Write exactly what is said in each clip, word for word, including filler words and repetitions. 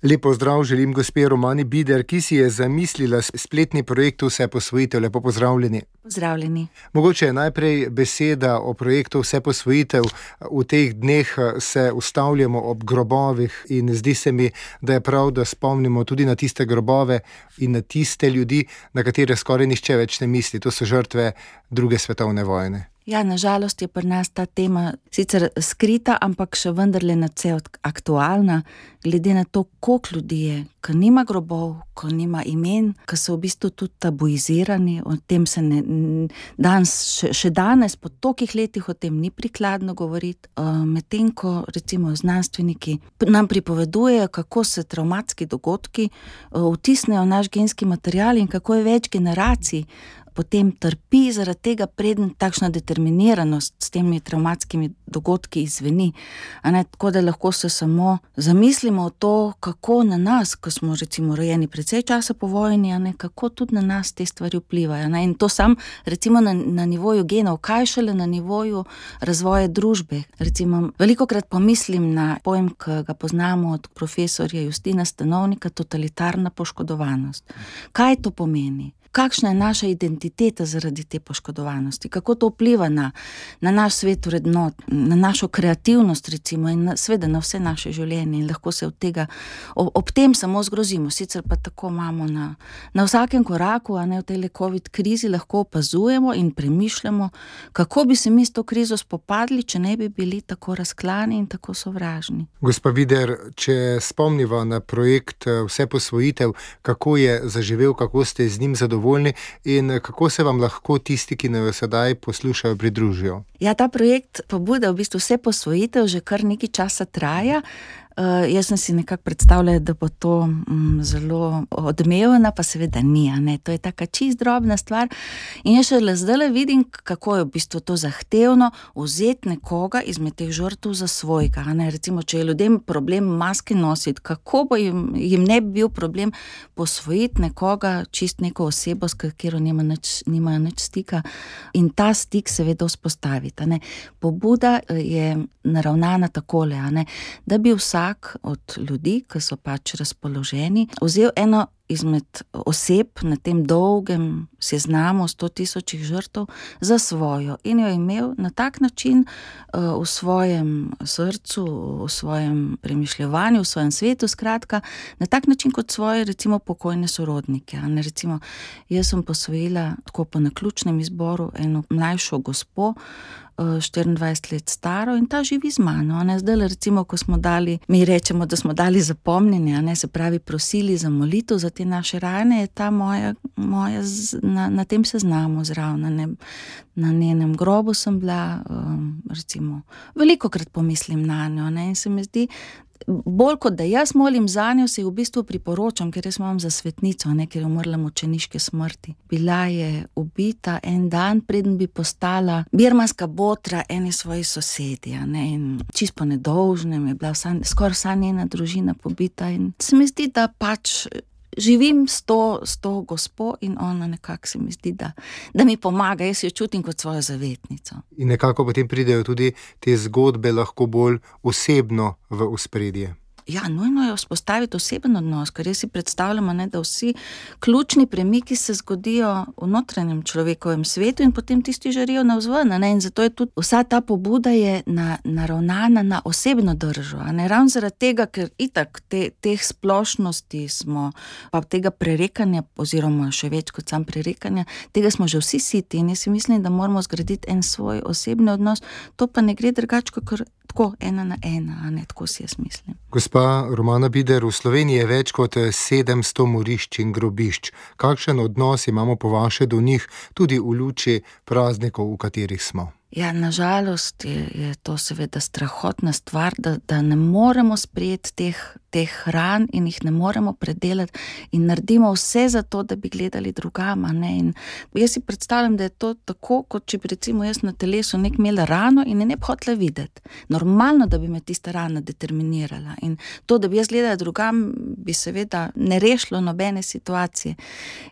Lep pozdrav želim gospe Romani Bider, ki si je zamislila spletni projekt Vseposvojitev. Lepo pozdravljeni. Pozdravljeni. Mogoče je najprej beseda o projektu Vseposvojitev. V teh dneh se ustavljamo ob grobovih in zdi se mi, da je prav, da spomnimo tudi na tiste grobove in na tiste ljudi, na katere skoraj nihče več ne misli. To so žrtve druge svetovne vojne. Ja, nažalost je pri nas ta tema sicer skrita, ampak še vendarle nadvse aktualna, glede na to, koliko ljudi je, ki nima grobov, ki nima imen, ki so v bistvu tudi tabuizirani, o tem se ne, danes, še, še danes, po tolikih letih o tem ni prikladno govoriti, medtem ko recimo znanstveniki nam pripovedujejo, kako se travmatski dogodki vtisnejo v naš genski material in kako je več generacij potem trpi zaradi tega, preden takšna determiniranost s temi travmatskimi dogodki izveni. A ne, tako da lahko se samo zamislimo o to, kako na nas, ko smo recimo rojeni precej časa po vojni, a ne, kako tudi na nas te stvari vplivajo. Ne, in to sam recimo na, na nivoju genov, kaj šele na nivoju razvoja družbe. Recimo, velikokrat pomislim na pojem, ki ga poznamo od profesorja Justina Stanovnika, totalitarna poškodovanost. Kaj to pomeni? Kakšna je naša identiteta zaradi te poškodovanosti, kako to vpliva na, na naš svet vrednot, na našo kreativnost recimo in na, seveda na vse naše življenje in lahko se od tega, ob, ob tem samo zgrozimo, sicer pa tako imamo na, na vsakem koraku, a ne v tej COVID krizi lahko opazujemo in premišljamo, kako bi se mi s to krizo spopadli, če ne bi bili tako razklani in tako sovražni. Gospa Bider, če spomniva na projekt Vseposvojitev, kako je zaživel, kako ste z njim zadovoljni, in kako se vam lahko tisti, ki nas sedaj poslušajo, pridružijo? Ja, ta projekt pobuda v bistvu Vseposvojitev že kar nekaj časa traja. Uh, jaz sem si nekako predstavljala, da bo to um, zelo odmevna, pa seveda ni, a ne, to je taka čist drobna stvar in jaz še zdaj vidim, kako je v bistvu to zahtevno vzeti nekoga izmed teh žrtev za svojega, a ne, recimo, če je ljudem problem maske nositi, kako bo jim, jim ne bi bil problem posvojiti nekoga, čist neko osebo, s katero nima nič, nimajo nič stika in ta stik seveda vzpostaviti, a ne. Pobuda je naravnana takole, a ne, da bi vsak od ljudi, ki so pač razpoloženi, vzel eno izmed oseb na tem dolgem seznamu sto tisočih žrtev za svojo in jo imel na tak način uh, v svojem srcu, v svojem premišljevanju, v svojem svetu, skratka, na tak način kot svoje recimo pokojne sorodnike. Ne, recimo, jaz sem posvojila tako po naključnem izboru eno mlajšo gospo, štiriindvajset let staro in ta živi z mano. Ne, zdaj recimo, ko smo dali, mi rečemo, da smo dali zapomnjenje, ne, se pravi prosili za molitev za te naše rane, je ta moja, moja z, na, na tem seznamu zraven, ne, na njenem grobu sem bila, um, recimo, velikokrat pomislim na njo, ne, in se mi zdi, bolj kot da jaz molim za njo, se v bistvu priporočam, ker jaz imam za svetnico, ne, ker je umrla mučeniške smrti. Bila je ubita en dan, preden bi postala birmanska botra eni svoji sosedi, ne, in čisto po nedolžnem je bila vsa, skoraj vsa njena družina pobita in se mi zdi, da pač živim s to, s to gospo in ona nekako se mi zdi, da, da mi pomaga, jaz jo čutim kot svojo zavetnico. In nekako potem pridejo tudi te zgodbe lahko bolj osebno v ospredje. Ja, nujno je vzpostaviti oseben odnos, ker jaz si predstavljamo, ne, da vsi ključni premiki se zgodijo v notranjem človekovem svetu in potem tisti žarijo navzven, ne, in zato je tudi vsa ta pobuda je na, naravnana na osebno držo, a ne, ravno zaradi tega, ker itak te, teh splošnosti smo, pa tega prerekanja, oziroma še več kot sam prerekanja, tega smo že vsi siti in jaz si mislim, da moramo zgraditi en svoj osebni odnos, to pa ne gre drugače, kakor tako, ena na ena, a ne, tako si jaz mislim. Gospa Romana Bider, v Sloveniji je več kot sedemsto morišč in grobišč. Kakšen odnos imamo po vaše do njih, tudi v luči praznikov, v katerih smo? Ja, nažalost je, je to seveda strahotna stvar, da, da ne moremo sprejeti teh, teh hran in jih ne moremo predelati in naredimo vse za to, da bi gledali drugam, a ne. In jaz si predstavljam, da je to tako, kot če bi recimo jaz na telesu nek imela rano in je ne bi hotela videti. Normalno, da bi me tista rana determinirala in to, da bi jaz gledala drugam, bi seveda ne rešilo nobene situacije.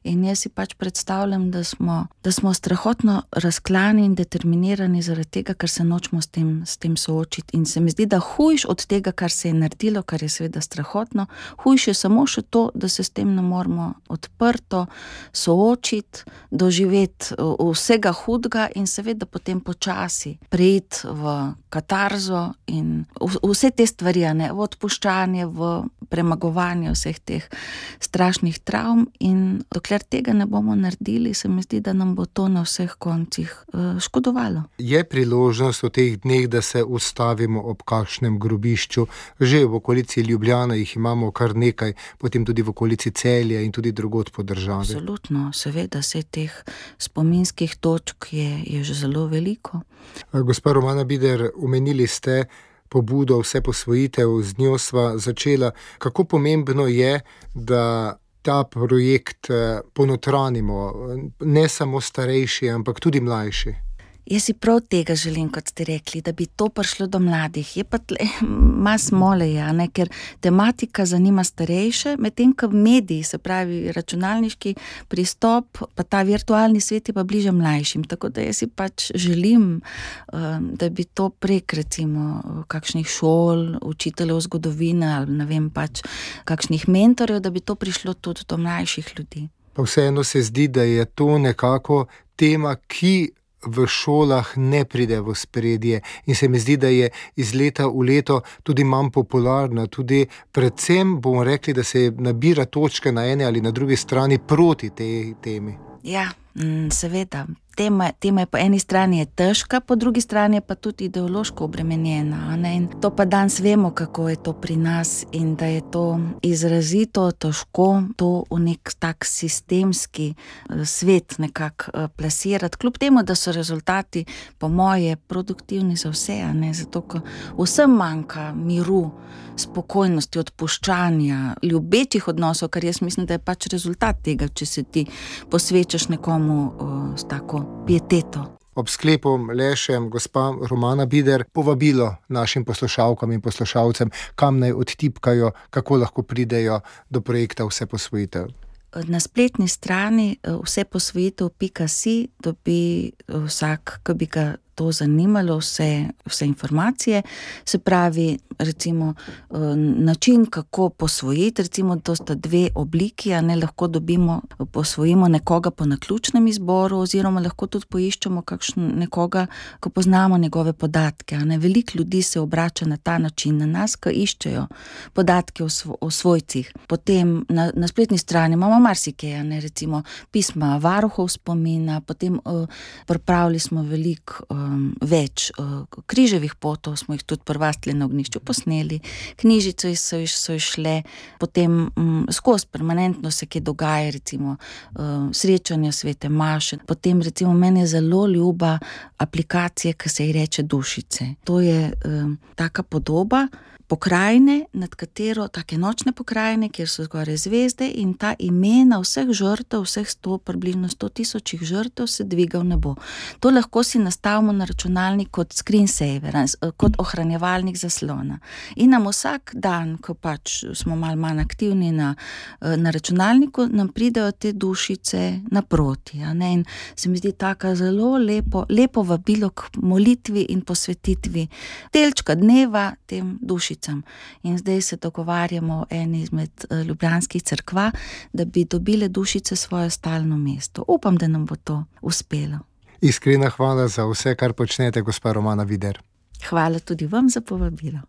In jaz si pač predstavljam, da smo, da smo strahotno razklani in determinirani zaradi tega, ker se nočemo s tem, s tem soočiti. In se mi zdi, da hujš od tega, kar se je naredilo, kar je seveda strahotno, hujš je samo še to, da se s tem ne moramo odprto soočiti, doživeti vsega hudega in seveda potem počasi preiti v katarzo in vse te stvari, ne, v odpuščanje, v premagovanje vseh teh strašnih travm, in dokler tega ne bomo naredili, se mi zdi, da nam bo to na vseh koncih škodovalo. Je priložnost v teh dneh, da se ustavimo ob kakšnem grobišču? Že v okolici Ljubljana jih imamo kar nekaj, potem tudi v okolici Celja in tudi drugod po državi. Absolutno, seveda, se teh spominskih točk je, je že zelo veliko. Gospa Romana Bider, omenili ste pobudo Vseposvojitev, z njo sva začela. Kako pomembno je, da ta projekt ponotranimo, ne samo starejši, ampak tudi mlajši? Jaz si prav tega želim, kot ste rekli, da bi to prišlo do mladih. Je pa tle, mas mole, ja, ne, ker tematika zanima starejše, medtem ko mediji, se pravi računalniški pristop, pa ta virtualni svet je pa bliže mlajšim. Tako da jaz si pač želim, da bi to prek recimo kakšnih šol, učiteljev zgodovine ali ne vem pač kakšnih mentorjev, da bi to prišlo tudi do mlajših ljudi. Pa vseeno se zdi, da je to nekako tema, ki v šolah ne pride v ospredje, in se mi zdi, da je iz leta v leto tudi manj popularna, tudi predvsem bomo rekli, da se nabira točke na ene ali na drugi strani proti tej temi. Ja, seveda. Tema, tema je po eni strani je težka, po drugi strani je pa tudi ideološko obremenjena, ne? In to pa danes vemo, kako je to pri nas, in da je to izrazito težko to v nek tak sistemski svet nekako plasirati, kljub temu, da so rezultati po moje produktivni za vse, ne? Zato, ko vsem manjka miru, spokojnosti, odpuščanja, ljubečih odnosov, kar jaz mislim, da je pač rezultat tega, če se ti posvečaš nekomu o, s tako pieteto. Ob sklepu le še, gospa Romana Bider, povabilo našim poslušalkam in poslušalcem, kam naj odtipkajo, kako lahko pridejo do projekta Vseposvojitev. Na spletni strani vseposvojitev pika si dobi vsak, ki bi ga to zanimalo, vse, vse informacije, se pravi, recimo, način, kako posvojiti, recimo, to sta dve obliki, a ne, lahko dobimo, posvojimo nekoga po naključnem izboru, oziroma lahko tudi poiščemo kakšen nekoga, ko poznamo njegove podatke, a ne. Veliko ljudi se obrača na ta način na nas, ko iščejo podatke o, svo, o svojcih. Potem na, na spletni strani imamo marsikaj, a ne, recimo pisma varuhov spomina, potem uh, pripravili smo veliko uh, več uh, križevih potov, smo jih tudi prvastli na ognjišču posneli, knjižice so, so išle, potem um, skozi permanentno se kaj dogaja, recimo uh, srečanja svete maše, potem recimo meni je zelo ljuba aplikacija, ki se ji reče Dušice. To je um, taka podoba pokrajine, nad katero, take nočne pokrajine, kjer so zgoraj zvezde, in ta imena vseh žrtev, vseh sto, približno sto tisočih žrtev se dviga v nebo. To lahko si nastavimo na računalnik kot screensaver, kot ohranjevalnik zaslona. In nam vsak dan, ko pač smo malo manj aktivni na, na računalniku, nam pridejo te dušice naproti, a ne? In se mi zdi taka zelo lepo, lepo vabilo k molitvi in posvetitvi delčka dneva tem dušicam. In zdaj se dogovarjamo o eni izmed ljubljanskih cerkva, da bi dobile dušice svoje stalno mesto. Upam, da nam bo to uspelo. Iskrena hvala za vse, kar počnete, gospa Romana Bider. Hvala tudi vam za povabilo.